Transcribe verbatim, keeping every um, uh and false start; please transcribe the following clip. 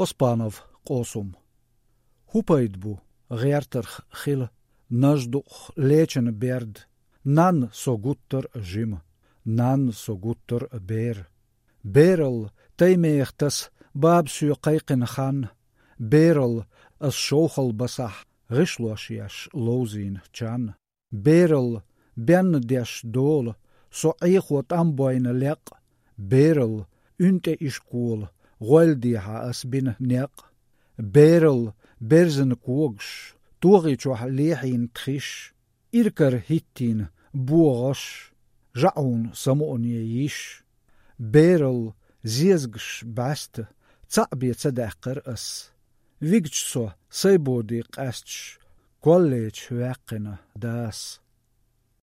Оспанов Къосум. ХӀун пайда бу гӀертарх хила, наждукъ лечана берд? Нанна со гуттар а жима, нанна со гуттар а бер. Берал таймех тас баба соь кхайкхина хан, берал ас шовхал басахь гӀишлош еш ловзийна чан. Берал бенна деш дола со Ӏехо тӀам бойна лекъ, берал уьн тӀе ишкола гӀойла дехьа ас бина некъ. Берал берзан когаш, тогӀи чохь лехьийна тхиш, иркар хӀиттийна богӀаш, жаӀун самуъане йиш. Берал зезагаш бӀаьста цхьаъ бен ца даьккхар ас. Вигча со сайбоди къаьсташ, коллеча ваьккхина дас.